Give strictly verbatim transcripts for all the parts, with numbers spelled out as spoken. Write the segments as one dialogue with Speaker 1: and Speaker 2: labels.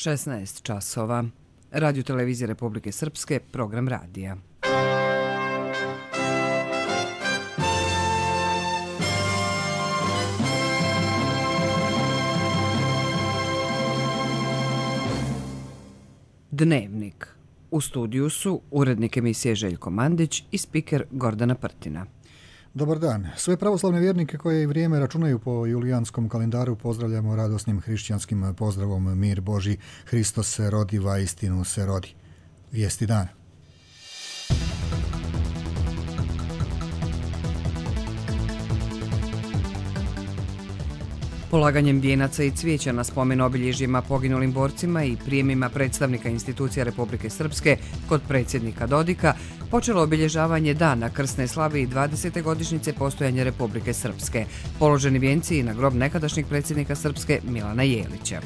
Speaker 1: šesnaest časova. Radio televizije Republike Srpske, program radija. Dnevnik. U studiju su urednik emisije Željko Mandić i spiker Gordana Prtina.
Speaker 2: Dobar dan. Sve pravoslavne vjernike koje i vrijeme računaju po julijanskom kalendaru pozdravljamo radosnim hrišćanskim pozdravom mir Boži, Hristos se rodi, va istinu se rodi. Vijesti dana.
Speaker 1: Polaganjem vijenaca i cvijeća na spomen obilježjima poginulim borcima i prijemima predstavnika institucija Republike Srpske kod predsjednika Dodika počelo obilježavanje dana krsne slave i dvadesete godišnjice postojanja Republike Srpske. Položeni vijenci i na grob nekadašnjeg predsjednika Srpske Milana Jelića.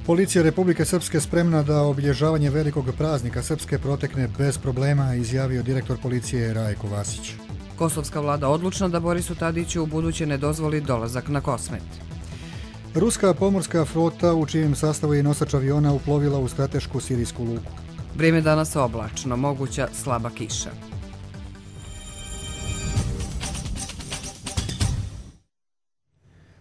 Speaker 2: Policija Republike Srpske spremna da obilježavanje velikog praznika Srpske protekne bez problema, izjavio direktor policije Rajko Vasić.
Speaker 1: Kosovska vlada odlučna da Borisu Tadiću u buduće ne dozvoli dolazak na Kosmet.
Speaker 2: Ruska pomorska flota u čijem sastavu je nosač aviona uplovila u stratešku sirijsku luku.
Speaker 1: Vrijeme danas oblačno, moguća slaba kiša.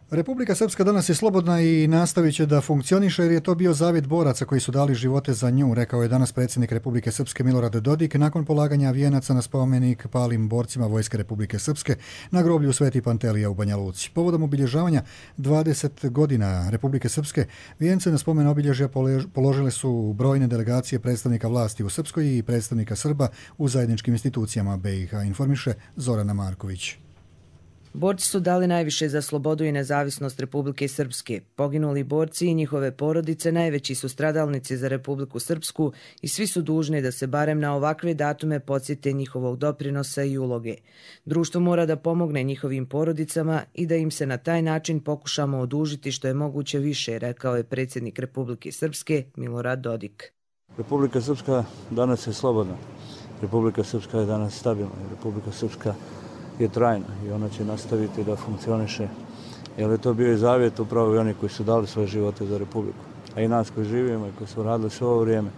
Speaker 2: Republika Srpska danas je slobodna i nastavit će da funkcioniše jer je to bio zavjet boraca koji su dali živote za nju, rekao je danas predsjednik Republike Srpske Milorad Dodik nakon polaganja vijenaca na spomenik palim borcima Vojske Republike Srpske na groblju Sveti Pantelija u Banja Luci. Povodom obilježavanja dvadeset godina Republike Srpske, vijence na spomen obilježja položile su brojne delegacije predstavnika vlasti u Srpskoj i predstavnika Srba u zajedničkim institucijama B i H, informiše Zorana Marković.
Speaker 3: Borci su dali najviše za slobodu i nezavisnost Republike Srpske. Poginuli borci i njihove porodice najveći su stradalnici za Republiku Srpsku i svi su dužni da se barem na ovakve datume podsjete njihovog doprinosa i uloge. Društvo mora da pomogne njihovim porodicama i da im se na taj način pokušamo odužiti što je moguće više, rekao je predsjednik Republike Srpske Milorad Dodik.
Speaker 4: Republika Srpska danas je slobodna. Republika Srpska je danas stabilna. Republika Srpska je trajna i ona će nastaviti da funkcioniše. Jer je to bio i zavjet upravo i oni koji su dali svoje živote za Republiku. A i nas koji živimo i koji su radili sve ovo vrijeme,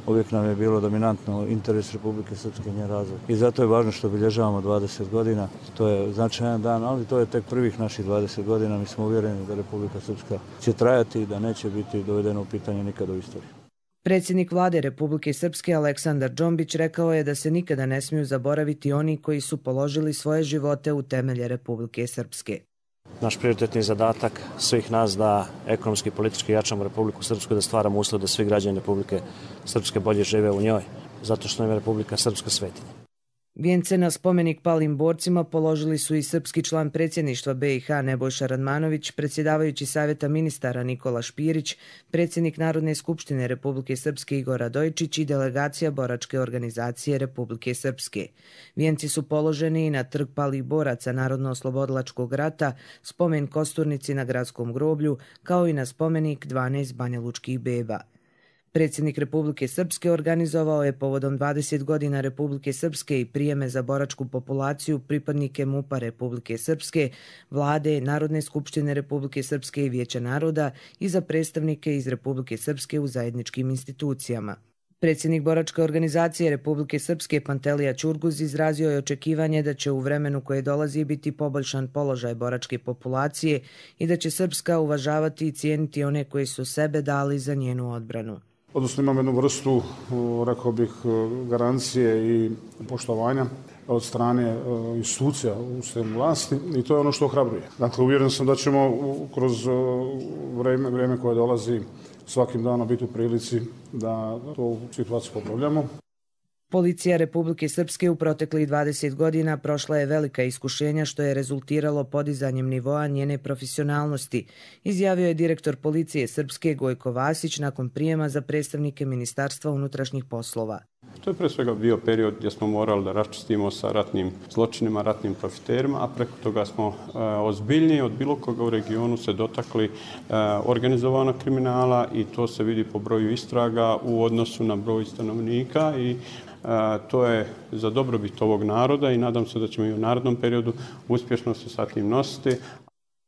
Speaker 4: uvijek nam je bilo dominantno interes Republike Srpske i njen razvoj. I zato je važno što obilježavamo dvadeset godina. To je značajan dan, ali to je tek prvih naših dvadeset godina. Mi smo uvjereni da Republika Srpska će trajati i da neće biti dovedeno u pitanje nikada u istoriji.
Speaker 3: Predsjednik vlade Republike Srpske Aleksandar Džombić rekao je da se nikada ne smiju zaboraviti oni koji su položili svoje živote u temelje Republike Srpske.
Speaker 5: Naš prioritetni zadatak svih nas da ekonomski i politički jačamo Republiku Srpsku, da stvaramo uslov da svi građani Republike Srpske bolje žive u njoj, zato što nam je Republika Srpska svetinja.
Speaker 3: Vijence na spomenik palim borcima položili su i srpski član predsjedništva B i H Nebojša Radmanović, predsjedavajući Savjeta ministara Nikola Špirić, predsjednik Narodne skupštine Republike Srpske Igor Radojičić i delegacija boračke organizacije Republike Srpske. Vijenci su položeni i na trg palih boraca Narodno-oslobodilačkog rata, spomen Kosturnici na gradskom groblju, kao i na spomenik dvanaest banjalučkih beba. Predsjednik Republike Srpske organizovao je povodom dvadeset godina Republike Srpske i prijeme za boračku populaciju pripadnike MUP-a Republike Srpske, vlade, Narodne skupštine Republike Srpske i Vijeća naroda i za predstavnike iz Republike Srpske u zajedničkim institucijama. Predsjednik boračke organizacije Republike Srpske Pantelija Ćurguz izrazio je očekivanje da će u vremenu koje dolazi biti poboljšan položaj boračke populacije i da će Srpska uvažavati i cijeniti one koji su sebe dali za njenu odbranu.
Speaker 6: Odnosno imam jednu vrstu, rekao bih, garancije i poštovanja od strane institucija u sistemu vlasti i to je ono što ohrabruje. Dakle, uvjeren sam da ćemo kroz vrijeme, vrijeme koje dolazi svakim danom biti u prilici da tu situaciju popravljamo.
Speaker 3: Policija Republike Srpske u proteklih dvadeset godina prošla je velika iskušenja što je rezultiralo podizanjem nivoa njene profesionalnosti, izjavio je direktor policije Srpske Gojko Vasić nakon prijema za predstavnike Ministarstva unutrašnjih poslova.
Speaker 7: To je pre svega bio period gdje smo morali da raščistimo sa ratnim zločinima, ratnim profiterima, a preko toga smo e, ozbiljnije od bilo koga u regionu se dotakli e, organizovanog kriminala i to se vidi po broju istraga u odnosu na broj stanovnika i to je za dobrobit ovog naroda i nadam se da ćemo i u narednom periodu uspješno se sa tim nositi.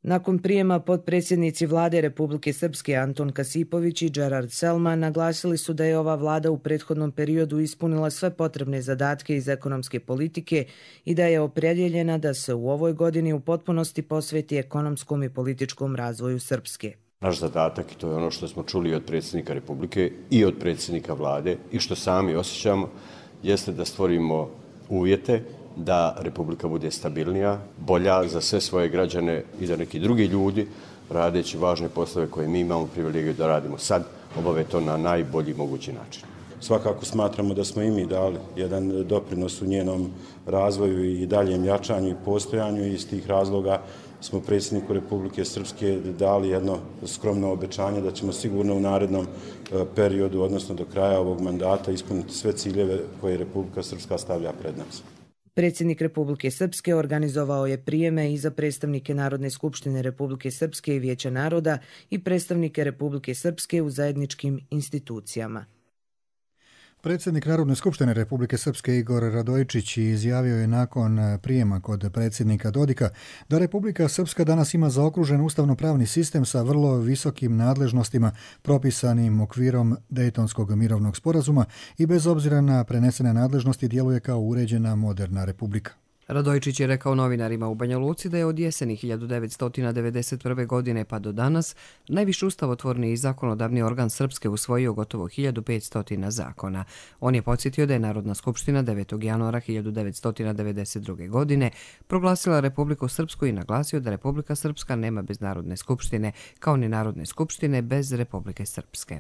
Speaker 3: Nakon prijema potpredsjednici vlade Republike Srpske Anton Kasipović i Gerard Selman naglasili su da je ova vlada u prethodnom periodu ispunila sve potrebne zadatke iz ekonomske politike i da je opredjeljena da se u ovoj godini u potpunosti posveti ekonomskom i političkom razvoju Srpske.
Speaker 8: Naš zadatak, i to je ono što smo čuli od predsjednika Republike i od predsjednika vlade i što sami osjećamo, jeste da stvorimo uvjete da Republika bude stabilnija, bolja za sve svoje građane i da neki drugi ljudi, radeći važne poslove koje mi imamo privilegiju da radimo sad, obave to na najbolji mogući način.
Speaker 9: Svakako smatramo da smo i mi dali jedan doprinos u njenom razvoju i daljem jačanju i postojanju i iz tih razloga smo predsjedniku Republike Srpske dali jedno skromno obećanje da ćemo sigurno u narednom periodu, odnosno do kraja ovog mandata, ispuniti sve ciljeve koje Republika Srpska stavlja pred nas.
Speaker 3: Predsjednik Republike Srpske organizovao je prijeme i za predstavnike Narodne skupštine Republike Srpske i Vijeća naroda i predstavnike Republike Srpske u zajedničkim institucijama.
Speaker 2: Predsjednik Narodne skupštine Republike Srpske Igor Radojičić izjavio je nakon prijema kod predsjednika Dodika da Republika Srpska danas ima zaokružen ustavno-pravni sistem sa vrlo visokim nadležnostima propisanim okvirom Dejtonskog mirovnog sporazuma i bez obzira na prenesene nadležnosti djeluje kao uređena moderna republika.
Speaker 1: Radojičić je rekao novinarima u Banja Luci da je od jeseni hiljadu devetsto devedeset prve. godine pa do danas najviši ustavotvorni i zakonodavni organ Srpske usvojio gotovo hiljadu petsto zakona. On je podsjetio da je Narodna skupština devetog januara hiljadu devetsto devedeset druge. godine proglasila Republiku Srpsku i naglasio da Republika Srpska nema bez Narodne skupštine, kao ni Narodne skupštine bez Republike Srpske.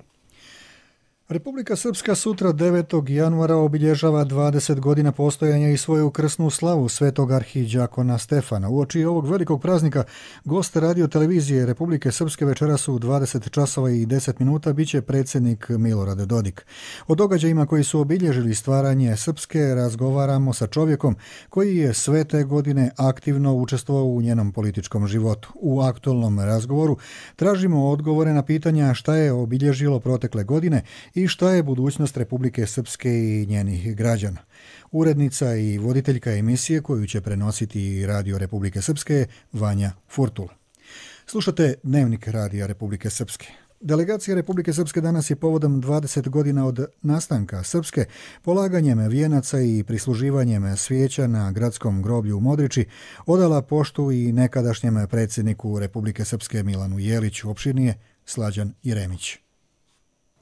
Speaker 2: Republika Srpska sutra devetog januara obilježava dvadeset godina postojanja i svoju krsnu slavu svetog arhidžakona Stefana. Uoči ovog velikog praznika gost radio televizije Republike Srpske večeras u dvadeset časova i deset minuta biće predsjednik Milorad Dodik. O događajima koji su obilježili stvaranje Srpske razgovaramo sa čovjekom koji je sve te godine aktivno učestvovao u njenom političkom životu. U aktualnom razgovoru tražimo odgovore na pitanja šta je obilježilo protekle godine i šta je budućnost Republike Srpske i njenih građana. Urednica i voditeljka emisije koju će prenositi Radio Republike Srpske Vanja Furtula. Slušate Dnevnik Radija Republike Srpske. Delegacija Republike Srpske danas je povodom dvadeset godina od nastanka Srpske polaganjem vijenaca i prisluživanjem svijeća na gradskom groblju u Modriči odala poštu i nekadašnjem predsjedniku Republike Srpske Milanu Jeliću. Opširnije Slađan Jeremić.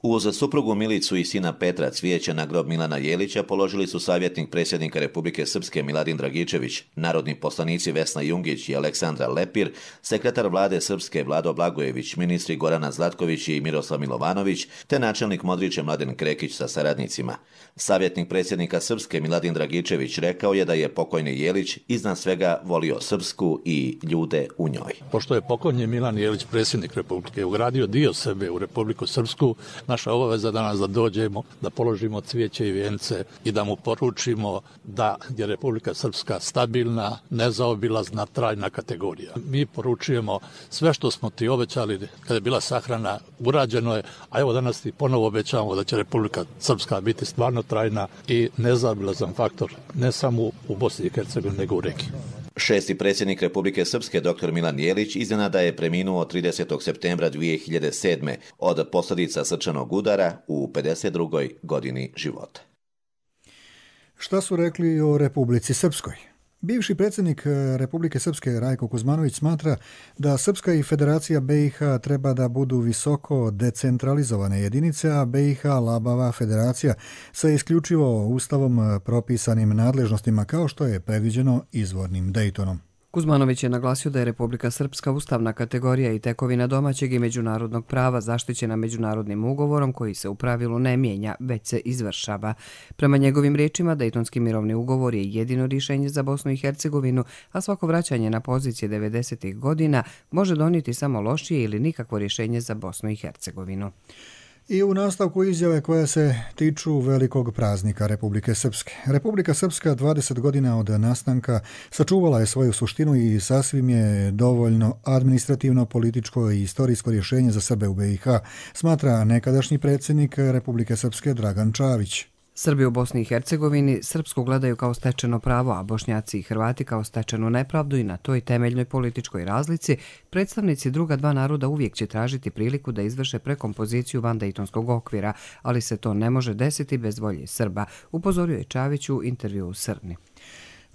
Speaker 10: Uz suprugu Milicu i sina Petra cvijeće na grob Milana Jelića položili su savjetnik predsjednika Republike Srpske Miladin Dragičević, narodni poslanici Vesna Jungić i Aleksandra Lepir, sekretar vlade Srpske Vlado Blagojević, ministri Gorana Zlatković i Miroslav Milovanović, te načelnik Modriče Mladen Krekić sa saradnicima. Savjetnik predsjednika Srpske Miladin Dragičević rekao je da je pokojni Jelić iznad svega volio Srpsku i ljude u njoj.
Speaker 11: Pošto je pokojni Milan Jelić, predsjednik Republike, ugradio dio sebe u Republiku Srpsku, naša obaveza danas da dođemo, da položimo cvijeće i vijence i da mu poručimo da je Republika Srpska stabilna, nezaobilazna, trajna kategorija. Mi poručujemo sve što smo ti obećali kada je bila sahrana, urađeno je, a evo danas ti ponovo obećavamo da će Republika Srpska biti stvarno trajna i nezaobilazan faktor, ne samo u Bosni i Hercegovini, nego u regiji.
Speaker 10: Šesti predsjednik Republike Srpske dr. Milan Jelić iznenada je preminuo tridesetog septembra dvije hiljade sedme. od posljedica srčanog udara u pedeset drugoj godini života.
Speaker 2: Šta su rekli o Republici Srpskoj? Bivši predsjednik Republike Srpske Rajko Kuzmanović smatra da Srpska i Federacija B i H treba da budu visoko decentralizovane jedinice, a B i H labava federacija sa isključivo ustavom propisanim nadležnostima kao što je predviđeno izvornim Dejtonom.
Speaker 1: Kuzmanović je naglasio da je Republika Srpska ustavna kategorija i tekovina domaćeg i međunarodnog prava zaštićena međunarodnim ugovorom koji se u pravilu ne mijenja, već se izvršava. Prema njegovim riječima, Dejtonski mirovni ugovor je jedino rješenje za Bosnu i Hercegovinu, a svako vraćanje na pozicije devedesetih godina može donijeti samo lošije ili nikakvo rješenje za Bosnu i Hercegovinu.
Speaker 2: I u nastavku izjave koje se tiču velikog praznika Republike Srpske. Republika Srpska dvadeset godina od nastanka sačuvala je svoju suštinu i sasvim je dovoljno administrativno, političko i istorijsko rješenje za Srbe u B i H, smatra nekadašnji predsjednik Republike Srpske Dragan Čavić.
Speaker 1: Srbi u Bosni i Hercegovini srpsku gledaju kao stečeno pravo, a Bošnjaci i Hrvati kao stečenu nepravdu i na toj temeljnoj političkoj razlici predstavnici druga dva naroda uvijek će tražiti priliku da izvrše prekompoziciju vandejtonskog okvira, ali se to ne može desiti bez volje Srba, upozorio je Čavić u intervjuu u Srni.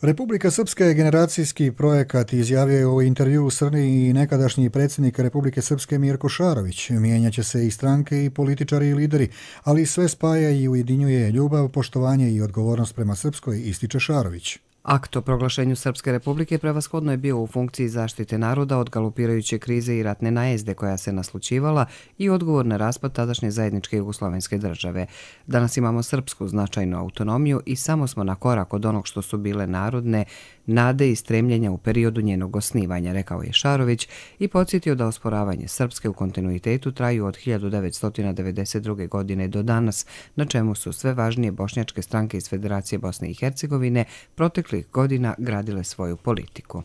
Speaker 2: Republika Srpska je generacijski projekat, izjavio je u intervjuu u Srni i nekadašnji predsjednik Republike Srpske Mirko Šarović. Mijenjaće se i stranke i političari i lideri, ali sve spaja i ujedinjuje ljubav, poštovanje i odgovornost prema Srpskoj, ističe Šarović.
Speaker 1: Akt o proglašenju Srpske republike prevashodno je bio u funkciji zaštite naroda od galopirajuće krize i ratne najezde koja se naslućivala i odgovor na raspad tadašnje zajedničke jugoslovenske države. Danas imamo srpsku značajnu autonomiju i samo smo na korak od onog što su bile narodne nade i stremljenja u periodu njenog osnivanja, rekao je Šarović i podsjetio da osporavanje Srpske u kontinuitetu traju od hiljadu devetsto devedeset druge. godine do danas, na čemu su sve važnije bošnjačke stranke iz Federacije Bosne i Hercegovine proteklih godina gradile svoju politiku.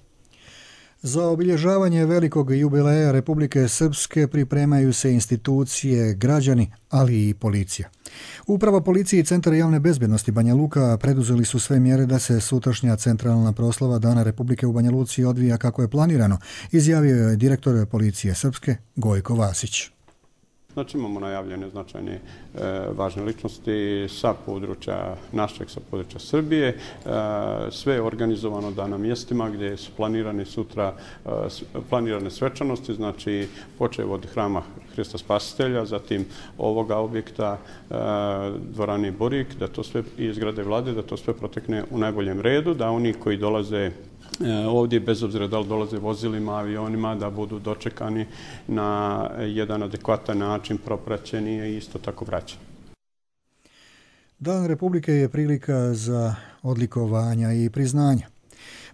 Speaker 2: Za obilježavanje velikog jubileja Republike Srpske pripremaju se institucije, građani, ali i policija. Uprava policije i Centar javne bezbjednosti Banja Luka preduzeli su sve mjere da se sutrašnja centralna proslava Dana Republike u Banja Luci odvija kako je planirano, izjavio je direktor policije Srpske Gojko Vasić.
Speaker 7: Znači imamo najavljene značajne e, važne ličnosti sa područja našeg, sa područja Srbije. E, sve je organizovano da na mjestima gdje su planirane sutra e, planirane svečanosti, znači počev od hrama Hrista Spasitelja, zatim ovoga objekta e, dvorane Borik, da to sve i zgrade vlade, da to sve protekne u najboljem redu, da oni koji dolaze ovdje, bez obzira da li dolaze vozilima, avionima, da budu dočekani na jedan adekvatan način, propraćeni i isto tako vraćeni.
Speaker 2: Dan Republike je prilika za odlikovanja i priznanja.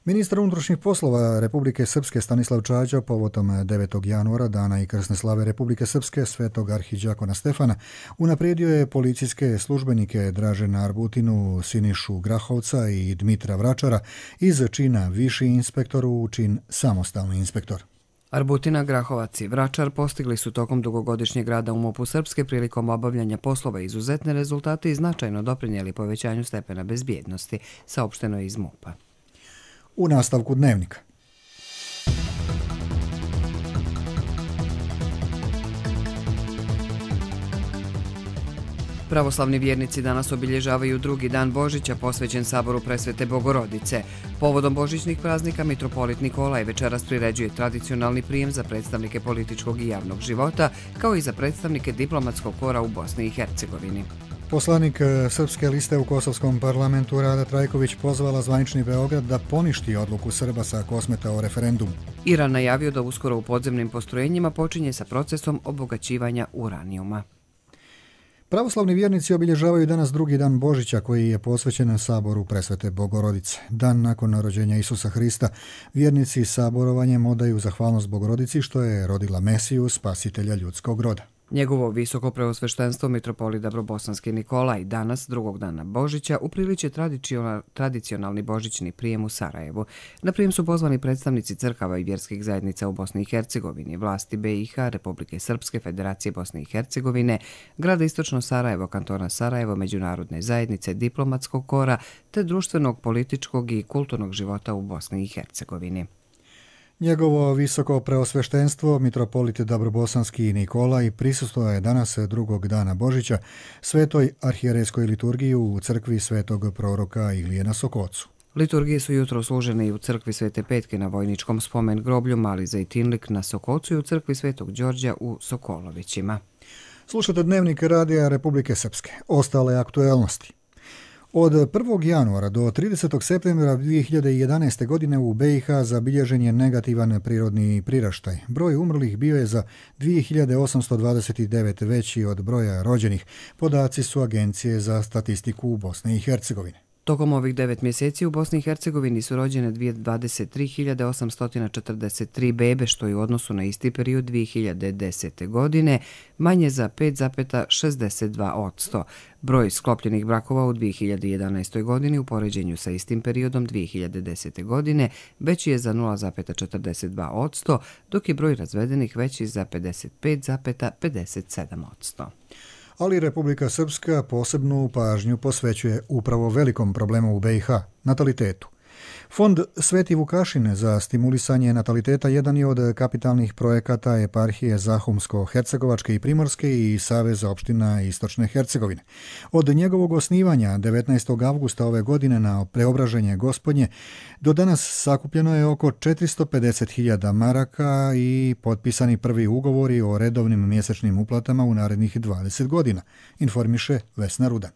Speaker 2: Ministar unutrašnjih poslova Republike Srpske Stanislav Čađa povodom devetog januara, dana i krsne slave Republike Srpske, svetog arhidžakona Stefana, unaprijedio je policijske službenike Dražena Arbutinu, Sinišu Grahovca i Dmitra Vračara iz čina viši inspektor u čin samostalni inspektor.
Speaker 1: Arbutina, Grahovac i Vračar postigli su tokom dugogodišnjeg rada u MUP-u Srpske prilikom obavljanja poslova izuzetne rezultate i značajno doprinijeli povećanju stepena bezbjednosti, saopšteno je iz MUP-a.
Speaker 2: U nastavku dnevnika.
Speaker 1: Pravoslavni vjernici danas obilježavaju drugi dan Božića posvećen Saboru Presvete Bogorodice. Povodom božićnih praznika mitropolit Nikolaj večeras priređuje tradicionalni prijem za predstavnike političkog i javnog života, kao i za predstavnike diplomatskog kora u Bosni i Hercegovini.
Speaker 2: Poslanik Srpske liste u Kosovskom parlamentu Rada Trajković pozvala zvanični Beograd da poništi odluku Srba sa Kosmeta o referendumu.
Speaker 1: Iran najavio da uskoro u podzemnim postrojenjima počinje sa procesom obogaćivanja uranijuma.
Speaker 2: Pravoslavni vjernici obilježavaju danas drugi dan Božića koji je posvećen Saboru Presvete Bogorodice. Dan nakon rođenja Isusa Hrista, vjernici saborovanjem odaju zahvalnost Bogorodici što je rodila Mesiju, spasitelja ljudskog roda.
Speaker 1: Njegovo visoko preosveštenstvo mitropolit Dabrobosanski Nikolaj danas, drugog dana Božića, upriliče tradicionalni božićni prijem u Sarajevu. Na prijem su pozvani predstavnici crkava i vjerskih zajednica u Bosni i Hercegovini, vlasti B i H, Republike Srpske, Federacije Bosne i Hercegovine, grada Istočno Sarajevo, kantona Sarajevo, međunarodne zajednice, diplomatskog kora, te društvenog, političkog i kulturnog života u Bosni i Hercegovini.
Speaker 2: Njegovo visoko preosveštenstvo, mitropolit Dabrobosanski Nikolaj, prisustvovao je danas drugog dana Božića svetoj arhijerejskoj liturgiji u crkvi svetog proroka Ilije na Sokocu.
Speaker 1: Liturgije su jutro služene i u crkvi Svete Petke na vojničkom spomen groblju Mali Zajtinlik na Sokocu i u crkvi Svetog Đorđa u Sokolovićima.
Speaker 2: Slušate dnevnik Radija Republike Srpske. Ostale aktuelnosti. Od prvog januara do tridesetog septembra dvije hiljade jedanaeste. godine u B i H zabilježen je negativan prirodni priraštaj. Broj umrlih bio je za dvije hiljade osamsto dvadeset devet veći od broja rođenih. Podaci su Agencije za statistiku u Bosni i Hercegovini.
Speaker 1: Tokom ovih devet mjeseci u Bosni i Hercegovini su rođene dvadeset tri hiljade osamsto četrdeset tri bebe, što je u odnosu na isti period dvije hiljade desete. godine manje za pet zarez šezdeset dva posto. Broj sklopljenih brakova u dvije hiljade jedanaestoj. godini u poređenju sa istim periodom dvije hiljade desete. godine veći je za nula zarez četrdeset dva posto, dok je broj razvedenih veći za pedeset pet zarez pedeset sedam posto.
Speaker 2: ali Republika Srpska posebnu pažnju posvećuje upravo velikom problemu u B i H, natalitetu. Fond Sveti Vukašin za stimulisanje nataliteta jedan je od kapitalnih projekata eparhije Zahumsko-Hercegovačke i Primorske i Saveza opština Istočne Hercegovine. Od njegovog osnivanja devetnaestog avgusta ove godine na Preobraženje Gospodnje do danas sakupljeno je oko četiristo pedeset hiljada maraka i potpisani prvi ugovori o redovnim mjesečnim uplatama u narednih dvadeset godina, informiše Vesna Rudan.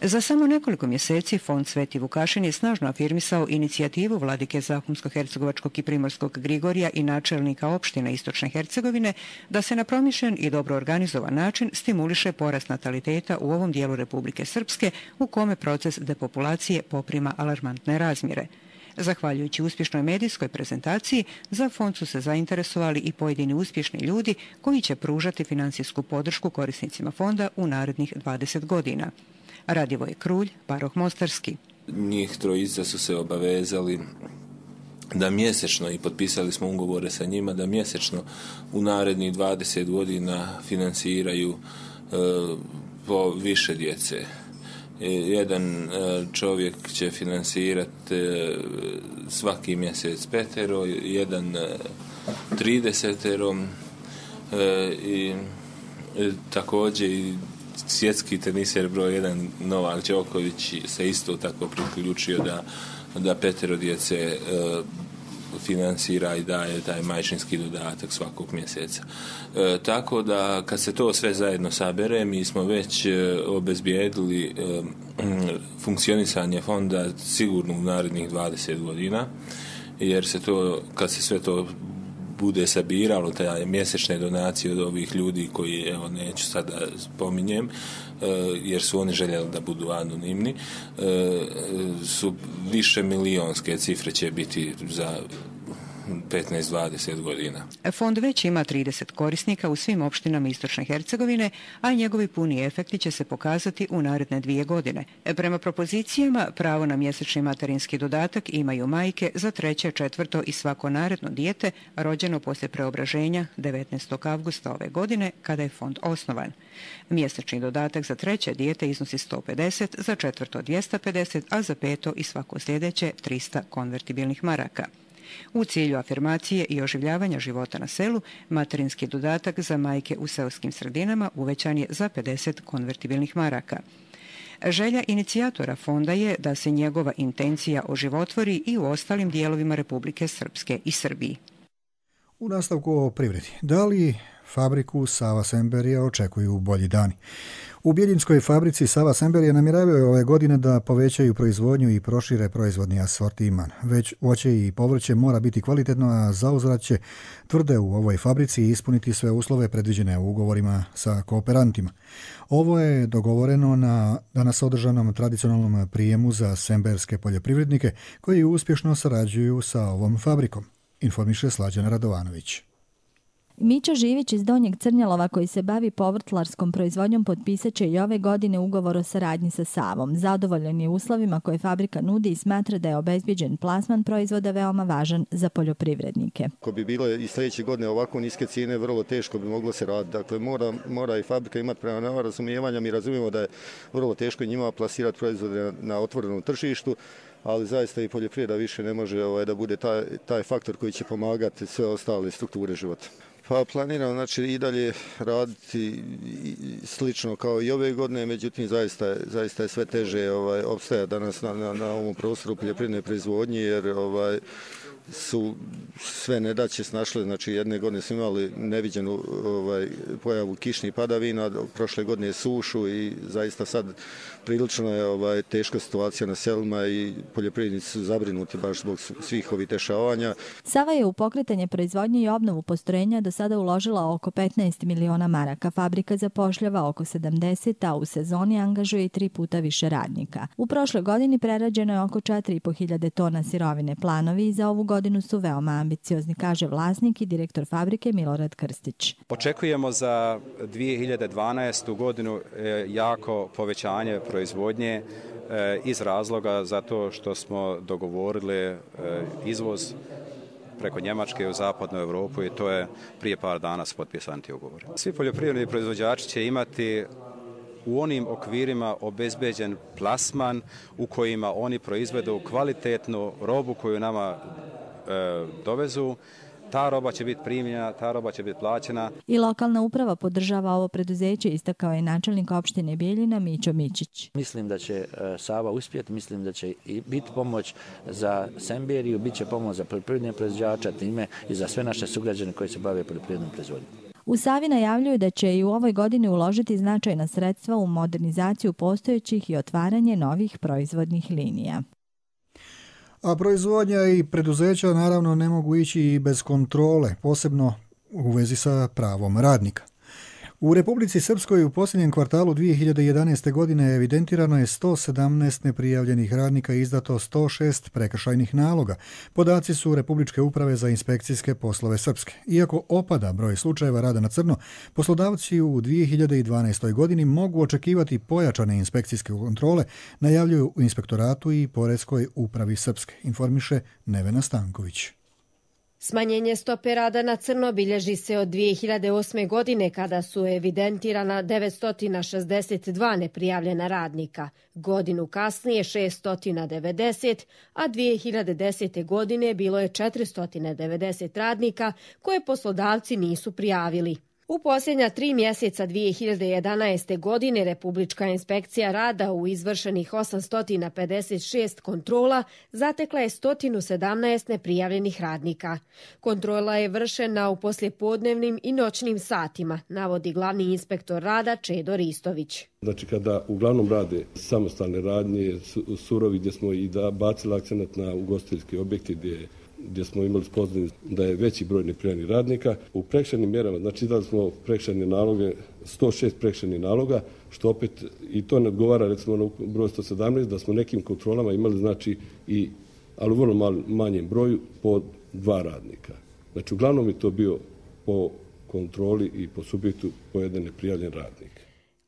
Speaker 12: Za samo nekoliko mjeseci Fond Sveti Vukašin je snažno afirmisao inicijativu vladike Zahumsko-Hercegovačkog i Primorskog Grigorija i načelnika opštine Istočne Hercegovine da se na promišljen i dobro organizovan način stimuliše porast nataliteta u ovom dijelu Republike Srpske u kome proces depopulacije poprima alarmantne razmjere. Zahvaljujući uspješnoj medijskoj prezentaciji, za fond su se zainteresovali i pojedini uspješni ljudi koji će pružati financijsku podršku korisnicima fonda u narednih dvadeset godina. Radivoj Krulj, Paroh Mostarski.
Speaker 13: Njih trojica su se obavezali da mjesečno, i potpisali smo ugovore sa njima, da mjesečno u narednih dvadeset godina financiraju e, po više djece. E, jedan e, čovjek će financirati e, svaki mjesec petero, jedan e, tridesetero e, i e, također i svjetski teniser broj jedan Novak Đoković se isto tako priključio da, da petero djece e, financira i daje taj majčinski dodatak svakog mjeseca. E, tako da kad se to sve zajedno sabere, mi smo već e, obezbijedili e, funkcionisanje fonda sigurno u narednih dvadeset godina, jer se to, kad se sve to bude sabiralo, te mjesečne donacije od ovih ljudi koji, evo, neću sada spominjem, jer su oni željeli da budu anonimni, su više milionske cifre će biti za petnaest do dvadeset godina.
Speaker 12: Fond već ima trideset korisnika u svim opštinama Istočne Hercegovine, a njegovi puni efekti će se pokazati u naredne dvije godine. Prema propozicijama, pravo na mjesečni materinski dodatak imaju majke za treće, četvrto i svako naredno dijete rođeno poslije preobraženja devetnaestog avgusta ove godine, kada je fond osnovan. Mjesečni dodatak za treće dijete iznosi sto pedeset, za četvrto dvjesto pedeset, a za peto i svako sljedeće trista konvertibilnih maraka. U cilju afirmacije i oživljavanja života na selu, materinski dodatak za majke u seoskim sredinama uvećan je za pedeset konvertibilnih maraka. Želja inicijatora fonda je da se njegova intencija oživotvori i u ostalim dijelovima Republike Srpske i Srbiji.
Speaker 2: U nastavku o privredi. Da li fabriku Sava Semberija očekuju bolji dani? U Bjeljinskoj fabrici Sava Semberija namjeravaju ove godine da povećaju proizvodnju i prošire proizvodni asortiman. Već voće i povrće mora biti kvalitetno, a zauzvrat će, tvrde u ovoj fabrici, ispuniti sve uslove predviđene u ugovorima sa kooperantima. Ovo je dogovoreno na danas održanom tradicionalnom prijemu za semberske poljoprivrednike koji uspješno sarađuju sa ovom fabrikom, informiše Slađana Radovanović.
Speaker 14: Mićo Živić iz Donjeg Crnjalova, koji se bavi povrtlarskom proizvodnjom, potpisat će i ove godine ugovor o saradnji sa Savom. Zadovoljan je uslovima koje fabrika nudi i smatra da je obezbijeđen plasman proizvoda veoma važan za poljoprivrednike.
Speaker 15: Ako bi bilo i sljedeće godine ovako niske cijene, vrlo teško bi moglo se raditi. Dakle, mora, mora i fabrika imati prema nama razumijevanja. Mi razumijemo da je vrlo teško njima plasirati proizvode na, na otvorenom tržištu, ali zaista i poljoprivreda više ne može ovaj, da bude taj, taj faktor koji će pomagati sve ostale strukture života. Pa planiram, znači, i dalje raditi slično kao i ove godine, međutim zaista, zaista je sve teže ovaj, opstajati danas na, na, na ovom prostoru poljoprivredne proizvodnje, jer ovaj, su sve nedaće snašle. Znači, jedne godine smo imali neviđenu ovaj, pojavu kišnih padavina, prošle godine sušu i zaista sad prilično je ovaj, teška situacija na selima i poljoprivrednici su zabrinuti baš zbog svih ovih dešavanja.
Speaker 14: Sava je u pokretanje proizvodnje i obnovu postrojenja do sada uložila oko petnaest miliona maraka. Fabrika zapošljava oko sedamdeset, a u sezoni angažuje i tri puta više radnika. U prošloj godini prerađeno je oko četiri i po hiljade tona sirovine. Planovi za ovu godinu su veoma ambiciozni, kaže vlasnik i direktor fabrike Milorad Krstić.
Speaker 16: Očekujemo za dvije hiljade dvanaestu godinu jako povećanje proizvodnje iz razloga zato što smo dogovorili izvoz preko Njemačke u zapadnu Europu i to je prije par dana su potpisani ti ugovori. Svi poljoprivredni proizvođači će imati u onim okvirima obezbeđen plasman u kojima oni proizvedu kvalitetnu robu koju nama e, dovezu. Ta roba će biti primljena, ta roba će biti plaćena.
Speaker 14: I lokalna uprava podržava ovo preduzeće, istakao je načelnik opštine Bijeljina Mićo Mičić.
Speaker 17: Mislim da će Sava uspjeti, mislim da će i biti pomoć za Semberiju, bit će pomoć za poljoprivredne proizvođače, time i za sve naše sugrađane koji se bave poljoprivrednom proizvodnjom.
Speaker 14: U Savi najavljuju da će i u ovoj godini uložiti značajna sredstva u modernizaciju postojećih i otvaranje novih proizvodnih linija.
Speaker 2: A proizvodnja i preduzeća naravno ne mogu ići i bez kontrole, posebno u vezi sa pravom radnika. U Republici Srpskoj u posljednjem kvartalu dvije hiljade jedanaeste. godine evidentirano je sto sedamnaest neprijavljenih radnika i izdato sto šest prekršajnih naloga. Podaci su Republičke uprave za inspekcijske poslove Srpske. Iako opada broj slučajeva rada na crno, poslodavci u dvije hiljade dvanaestoj. godini mogu očekivati pojačane inspekcijske kontrole, najavljuju u Inspektoratu i Poreskoj upravi Srpske, informiše Nevena Stanković.
Speaker 18: Smanjenje stope rada na crno bilježi se od dvije hiljade osme. godine kada su evidentirana devetsto šezdeset dva neprijavljena radnika, godinu kasnije šesto devedeset, a dvije hiljade desete. godine bilo je četiristo devedeset radnika koje poslodavci nisu prijavili. U posljednja tri mjeseca dvije hiljade jedanaeste. godine Republička inspekcija rada u izvršenih osamsto pedeset šest kontrola zatekla je sto sedamnaest neprijavljenih radnika. Kontrola je vršena u poslijepodnevnim i noćnim satima, navodi glavni inspektor rada Čedo Ristović.
Speaker 19: Znači kada uglavnom rade samostalne radnje, surovi, gdje smo i da bacili akcenat na ugostiteljske objekte gdje gdje smo imali spoznanje da je veći broj neprijavljenih radnika. U prekršajnim mjerama, znači dali smo prekršajne naloge, sto šest prekršajnih naloga, što opet i to ne odgovara recimo na broj sto sedamnaest, da smo nekim kontrolama imali znači i, ali u vrlo mal, manjem broju, po dva radnika. Znači uglavnom je to bio po kontroli i po subjektu po jedan neprijavljen radnik.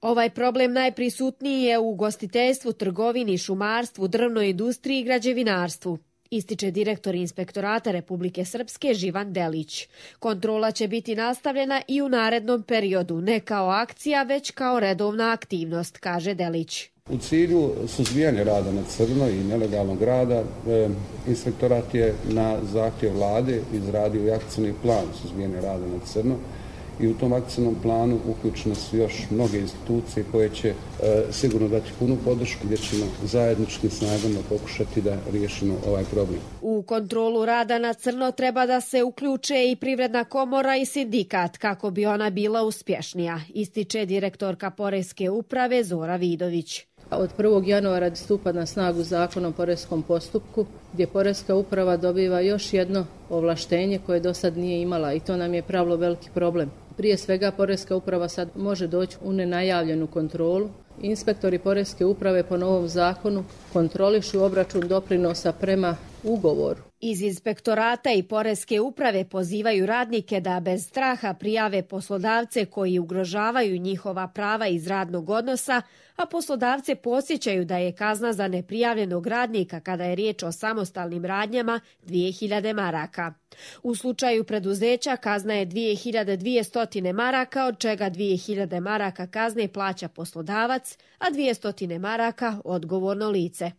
Speaker 18: Ovaj problem najprisutniji je u ugostiteljstvu, trgovini, šumarstvu, drvnoj industriji i građevinarstvu, ističe direktor Inspektorata Republike Srpske Živan Delić. Kontrola će biti nastavljena i u narednom periodu, ne kao akcija, već kao redovna aktivnost, kaže Delić.
Speaker 20: U cilju suzbijanja rada na crno i nelegalnog rada, e, Inspektorat je na zahtjev vlade izradio i akcijni plan suzbijanja rada na crno i u tom akcijnom planu uključene su još mnoge institucije koje će e, sigurno dati punu podršku, gdje ćemo zajedničkim snagama pokušati da riješimo ovaj problem.
Speaker 18: U kontrolu rada na crno treba da se uključe i Privredna komora i sindikat kako bi ona bila uspješnija, ističe direktorka Poreske uprave Zora Vidović.
Speaker 21: Od prvog januara stupa na snagu Zakon o poreskom postupku, gdje Poreska uprava dobiva još jedno ovlaštenje koje do sad nije imala i to nam je pravilo veliki problem. Prije svega Poreska uprava sad može doći u nenajavljenu kontrolu. Inspektori Poreske uprave po novom zakonu kontrolišu obračun doprinosa prema ugovoru.
Speaker 18: Iz Inspektorata i Poreske uprave pozivaju radnike da bez straha prijave poslodavce koji ugrožavaju njihova prava iz radnog odnosa, a poslodavce podsjećaju da je kazna za neprijavljenog radnika kada je riječ o samostalnim radnjama dvije hiljade maraka. U slučaju preduzeća kazna je dvije hiljade dvjesto maraka, od čega dvije hiljade maraka kazne plaća poslodavac, a dvjesto maraka odgovorno lice.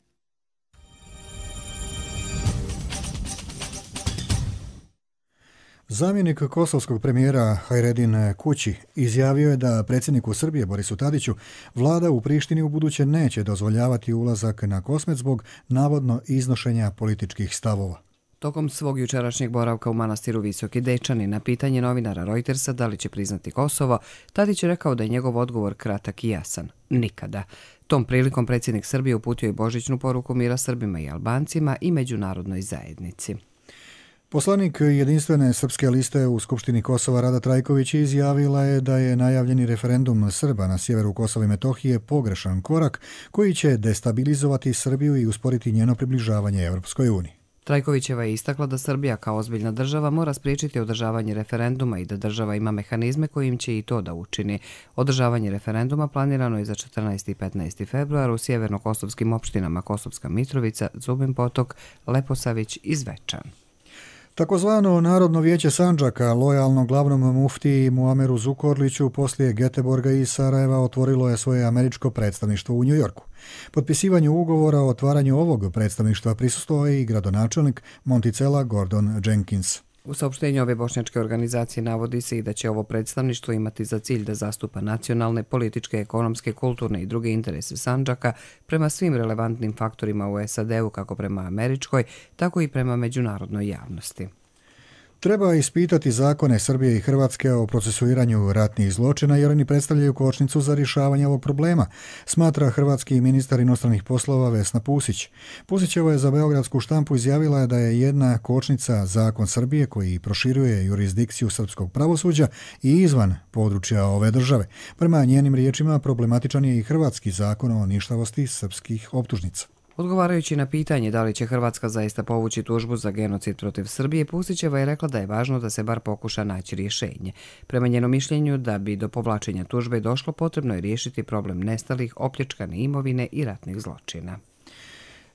Speaker 2: Zamjenik kosovskog premijera Hajredin Kući izjavio je da predsjedniku Srbije Borisu Tadiću vlada u Prištini u buduće neće dozvoljavati ulazak na Kosmet zbog navodno iznošenja političkih stavova.
Speaker 1: Tokom svog jučerašnjeg boravka u manastiru Visoki Dečani na pitanje novinara Reutersa da li će priznati Kosovo, Tadić je rekao da je njegov odgovor kratak i jasan. Nikada. Tom prilikom predsjednik Srbije uputio i božićnu poruku mira Srbima i Albancima i međunarodnoj zajednici.
Speaker 2: Poslanik jedinstvene srpske liste u Skupštini Kosova Rada Trajković izjavila je da je najavljeni referendum Srba na sjeveru Kosova i Metohije pogrešan korak koji će destabilizovati Srbiju i usporiti njeno približavanje Europskoj uniji.
Speaker 1: Trajkovićeva je istakla da Srbija kao ozbiljna država mora spriječiti održavanje referenduma i da država ima mehanizme kojim će i to da učini. Održavanje referenduma planirano je za četrnaesti i petnaesti februar u sjeverno-kosovskim opštinama Kosovska Mitrovica, Zubin Potok, Leposavić i Zvečan.
Speaker 2: Takozvano Narodno vijeće Sandžaka, lojalno glavnom muftiji Muameru Zukorliću, poslije Göteborga i Sarajeva otvorilo je svoje američko predstavništvo u New Yorku. Potpisivanju ugovora o otvaranju ovog predstavništva prisustvovao je i gradonačelnik Monticela Gordon Jenkins.
Speaker 1: U saopštenju ove bošnjačke organizacije navodi se i da će ovo predstavništvo imati za cilj da zastupa nacionalne, političke, ekonomske, kulturne i druge interese Sandžaka prema svim relevantnim faktorima u S A D-u, kako prema američkoj, tako i prema međunarodnoj javnosti.
Speaker 2: Treba ispitati zakone Srbije i Hrvatske o procesuiranju ratnih zločina jer oni predstavljaju kočnicu za rješavanje ovog problema, smatra hrvatski ministar inostranih poslova Vesna Pusić. Pusićeva je za beogradsku štampu izjavila da je jedna kočnica zakon Srbije koji proširuje jurisdikciju srpskog pravosuđa i izvan područja ove države. Prema njenim riječima problematičan je i hrvatski zakon o ništavosti srpskih optužnica.
Speaker 1: Odgovarajući na pitanje da li će Hrvatska zaista povući tužbu za genocid protiv Srbije, Pusićeva je rekla da je važno da se bar pokuša naći rješenje. Prema njenom mišljenju, da bi do povlačenja tužbe došlo, potrebno je riješiti problem nestalih, opljačkane imovine i ratnih zločina.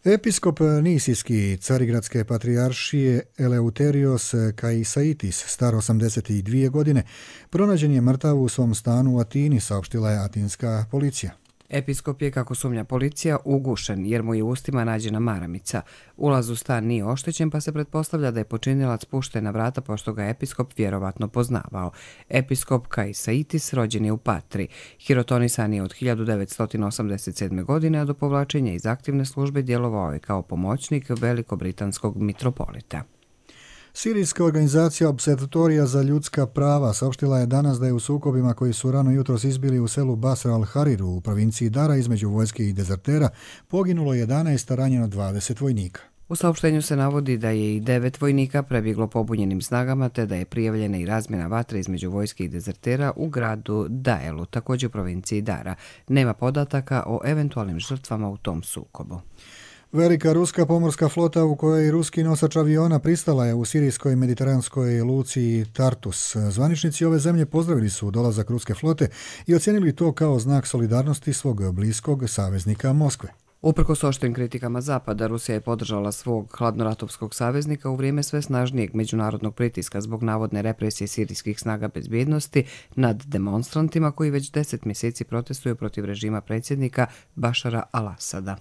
Speaker 2: Episkop Nisijski Carigradske patrijaršije Eleuterios Kaisaitis, star osamdeset dvije godine, pronađen je mrtav u svom stanu u Atini, saopštila je atinska policija.
Speaker 1: Episkop je, kako sumnja policija, ugušen jer mu je u ustima nađena maramica. Ulaz u stan nije oštećen, pa se pretpostavlja da je počinilac pušten na vrata pošto ga episkop vjerovatno poznavao. Episkop Kaisaitis rođen je u Patri. Hirotonisan je od hiljadu devetsto osamdeset sedme. godine, a do povlačenja iz aktivne službe djelovao je kao pomoćnik velikobritanskog mitropolita.
Speaker 2: Sirijska organizacija Observatorija za ljudska prava saopštila je danas da je u sukobima koji su rano jutros izbili u selu Basra al-Hariru u provinciji Dara između vojske i dezertera poginulo jedanaest, a ranjeno dvadeset vojnika.
Speaker 1: U saopštenju se navodi da je i devet vojnika prebjeglo pobunjenim snagama te da je prijavljena i razmjena vatre između vojske i dezertera u gradu Daelu, također u provinciji Dara. Nema podataka o eventualnim žrtvama u tom sukobu.
Speaker 2: Velika ruska pomorska flota u kojoj ruski nosač aviona pristala je u sirijskoj mediteranskoj luci Tartus. Zvaničnici ove zemlje pozdravili su dolazak ruske flote i ocijenili to kao znak solidarnosti svog bliskog saveznika Moskve.
Speaker 1: Uprkos oštrim kritikama Zapada, Rusija je podržala svog hladnoratovskog saveznika u vrijeme sve snažnijeg međunarodnog pritiska zbog navodne represije sirijskih snaga bezbjednosti nad demonstrantima koji već deset mjeseci protestuju protiv režima predsjednika Bašara al-Asada.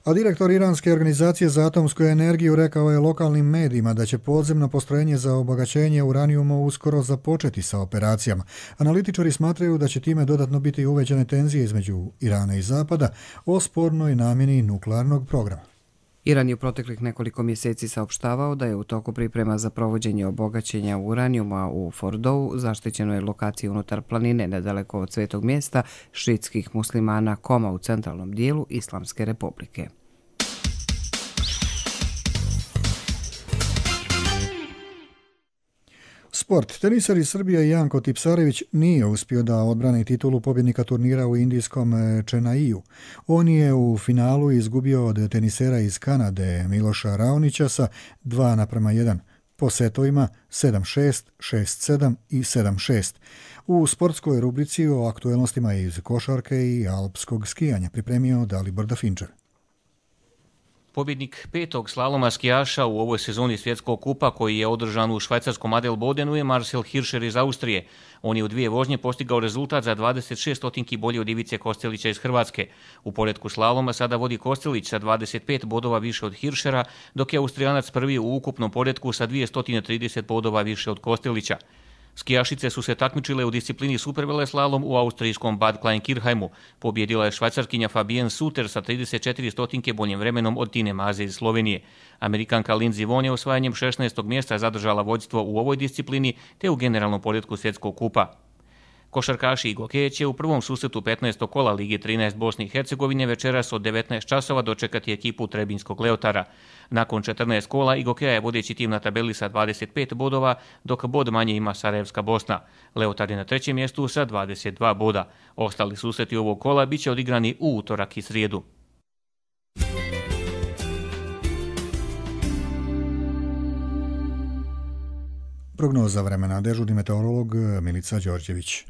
Speaker 2: A direktor Iranske organizacije za atomsku energiju rekao je lokalnim medijima da će podzemno postrojenje za obagaćenje uranijuma uskoro započeti sa operacijama. Analitičari smatraju da će time dodatno biti uvećane tenzije između Irana i Zapada o spornoj namjeni nuklearnog programa.
Speaker 1: Iran je u proteklih nekoliko mjeseci saopštavao da je u toku priprema za provođenje obogaćenja uranijuma u Fordou, zaštićenoj lokaciji unutar planine nedaleko od svetog mjesta šiitskih muslimana Koma u centralnom dijelu Islamske republike.
Speaker 2: Sport. Tenisar iz Srbije Janko Tipsarević nije uspio da odbrani titulu pobjednika turnira u indijskom Čenaiju. On je u finalu izgubio od tenisera iz Kanade Miloša Raonića sa dva naprema jedan po setovima sedam šest, šest sedam i sedam šest. U sportskoj rubrici o aktuelnostima iz košarke i alpskog skijanja pripremio Dalibor Dafinčar.
Speaker 4: Pobjednik petog slaloma skijaša u ovoj sezoni svjetskog kupa koji je održan u švajcarskom Adelbodenu je Marcel Hirscher iz Austrije. On je u dvije vožnje postigao rezultat za dvadeset šest stotinki bolji od Ivice Kostelića iz Hrvatske. U poretku slaloma sada vodi Kostelić sa dvadeset pet bodova više od Hirschera, dok je Austrijanac prvi u ukupnom poretku sa dvjesto trideset bodova više od Kostelića. Skijašice su se takmičile u disciplini superveleslalom u austrijskom Bad Kleinkirchheimu. Pobjedila je švajcarkinja Fabienne Suter sa trideset četiri stotinke boljim vremenom od Tine Maze iz Slovenije. Amerikanka Lindsey Vonn je osvajanjem šesnaestog mjesta zadržala vođstvo u ovoj disciplini te u generalnom poretku svjetskog kupa. Košarkaši Igo Keć će u prvom susretu petnaestog kola Lige trinaest Bosne i Hercegovine večeras od devetnaest časova dočekati ekipu Trebinjskog Leotara. Nakon četrnaest kola Igo Keja je vodeći tim na tabeli sa dvadeset pet bodova, dok bod manje ima Sarajevska Bosna. Leotar je na trećem mjestu sa dvadeset dva boda. Ostali susreti ovog kola bit će odigrani u utorak i srijedu.
Speaker 2: Prognoza vremena, dežurni meteorolog Milica Đorđević.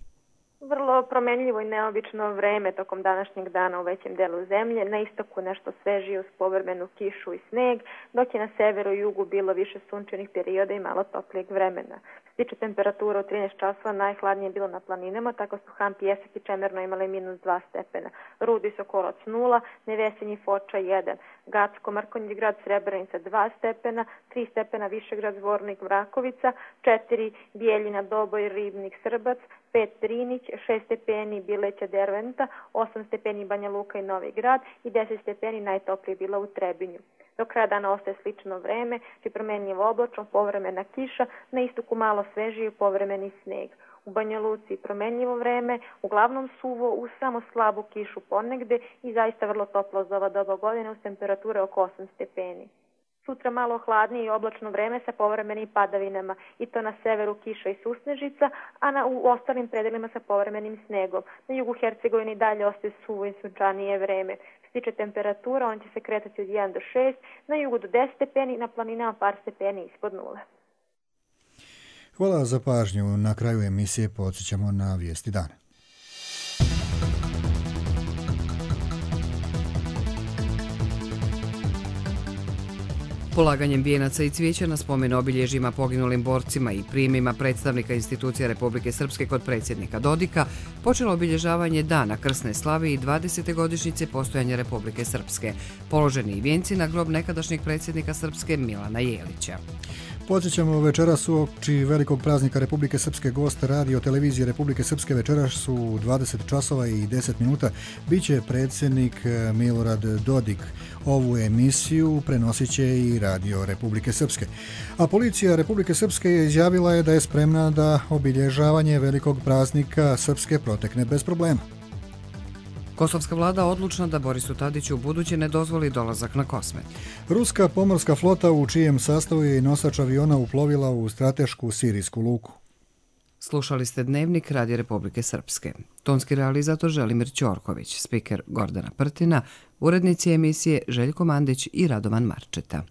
Speaker 22: Vrlo
Speaker 5: bilo promenljivo i neobično vreme tokom današnjeg dana u većem delu zemlje, na istoku nešto svežije uz povremenu kišu i sneg, dok je na severu i jugu bilo više sunčanih perioda i malo toplijeg vremena. Stiče temperatura u trinaest časova, najhladnije je bilo na planinama, tako su Han, Pijesak i Čemerno imale minus dva stepena, Rud, Visokolac nula, Nevesinj i Foča jedan, Gacko, Mrkonjić grad, Srebrenica dva stepena, tri stepena Višegrad, Zvornik, Vrakovica, četiri Bijeljina, Doboj, Ribnik, Srbac, pet Drinić, šest stepeni Bileća, Derventa, osam stepeni Banja Luka i Novi Grad i deset stepeni najtoplije bila u Trebinju. Do kraja dana ostaje slično vreme, či promenljivo oblačno, povremena kiša, na istoku malo svežije i povremeni sneg. U Banja Luci promenljivo vreme, uglavnom suvo, uz samo slabu kišu ponegde i zaista vrlo toplo za ova doba godine uz temperature oko osam stepeni. Sutra malo hladnije i oblačno vreme sa povremenim padavinama i to na severu kiša i susnežica, a na, u ostalim predelima sa povremenim snegom. Na jugu Hercegovini dalje ostaje suvo i sunčanije vreme. Što se tiče temperatura, on će se kretati od jedan do šest, na jugu do deset stepeni, na planinama par stepeni ispod nule.
Speaker 2: Hvala za pažnju. Na kraju emisije podsjećamo na vijesti dana.
Speaker 1: Polaganjem vijenaca i cvijeća na spomen obilježjima poginulim borcima i prijemima predstavnika institucija Republike Srpske kod predsjednika Dodika počelo obilježavanje Dana krsne slave i dvadesete godišnjice postojanja Republike Srpske. Položeni i vijenci na grob nekadašnjeg predsjednika Srpske Milana Jelića.
Speaker 2: Podsjećamo, večeras uoči velikog praznika Republike Srpske gost radio televizije Republike Srpske večeras su u dvadeset časova i deset minuta biće predsjednik Milorad Dodik. Ovu emisiju prenosit će i radio Republike Srpske. A policija Republike Srpske izjavila je da je spremna da obilježavanje velikog praznika Srpske protekne bez problema.
Speaker 1: Kosovska vlada odlučna da Borisu Tadiću u buduće ne dozvoli dolazak na Kosmet.
Speaker 2: Ruska pomorska flota u čijem sastavu je i nosač aviona uplovila u stratešku sirijsku luku.
Speaker 1: Slušali ste Dnevnik Radio Republike Srpske. Tonski realizator Želimir Ćorković, spiker Gordana Prtina, urednici emisije Željko Mandić i Radovan Marčeta.